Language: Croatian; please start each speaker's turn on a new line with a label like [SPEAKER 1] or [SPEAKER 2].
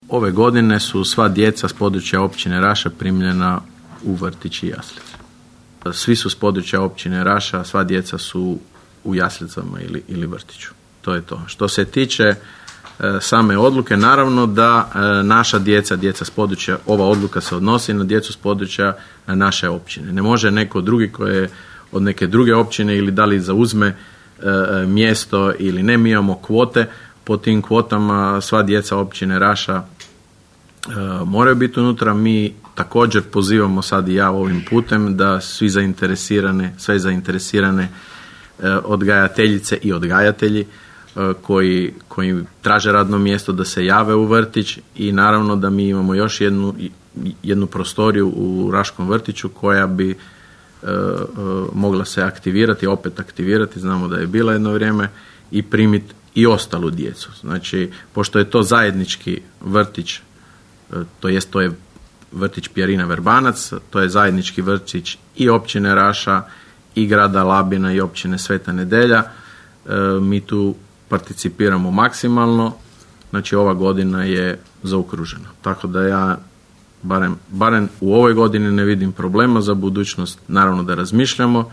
[SPEAKER 1] Ove godine su sva djeca s područja općine Raša primljena u vrtić i jaslice. Svi su s područja općine Raša, sva djeca su u jaslicama ili vrtiću. To je to. Što se tiče same odluke, naravno da naša djeca s područja, ova odluka se odnosi na djecu s područja naše općine. Ne može neko drugi koji je od neke druge općine ili da li zauzme mjesto ili ne, mi imamo kvote, po tim kvotama sva djeca općine Raša moraju biti unutra. Mi također pozivamo sad i ja ovim putem da sve zainteresirane odgajateljice i odgajatelji koji traže radno mjesto da se jave u vrtić, i naravno da mi imamo još jednu prostoriju u Raškom vrtiću koja bi mogla se aktivirati, znamo da je bila jedno vrijeme, i primiti i ostalu djecu. Znači, pošto je to zajednički vrtić, to je vrtić Pjerina Verbanac, to je zajednički vrtić i općine Raša i grada Labina i općine Sveta Nedelja, mi tu participiramo maksimalno, znači ova godina je zaokružena. Tako da ja barem u ovoj godini ne vidim problema, za budućnost naravno da razmišljamo.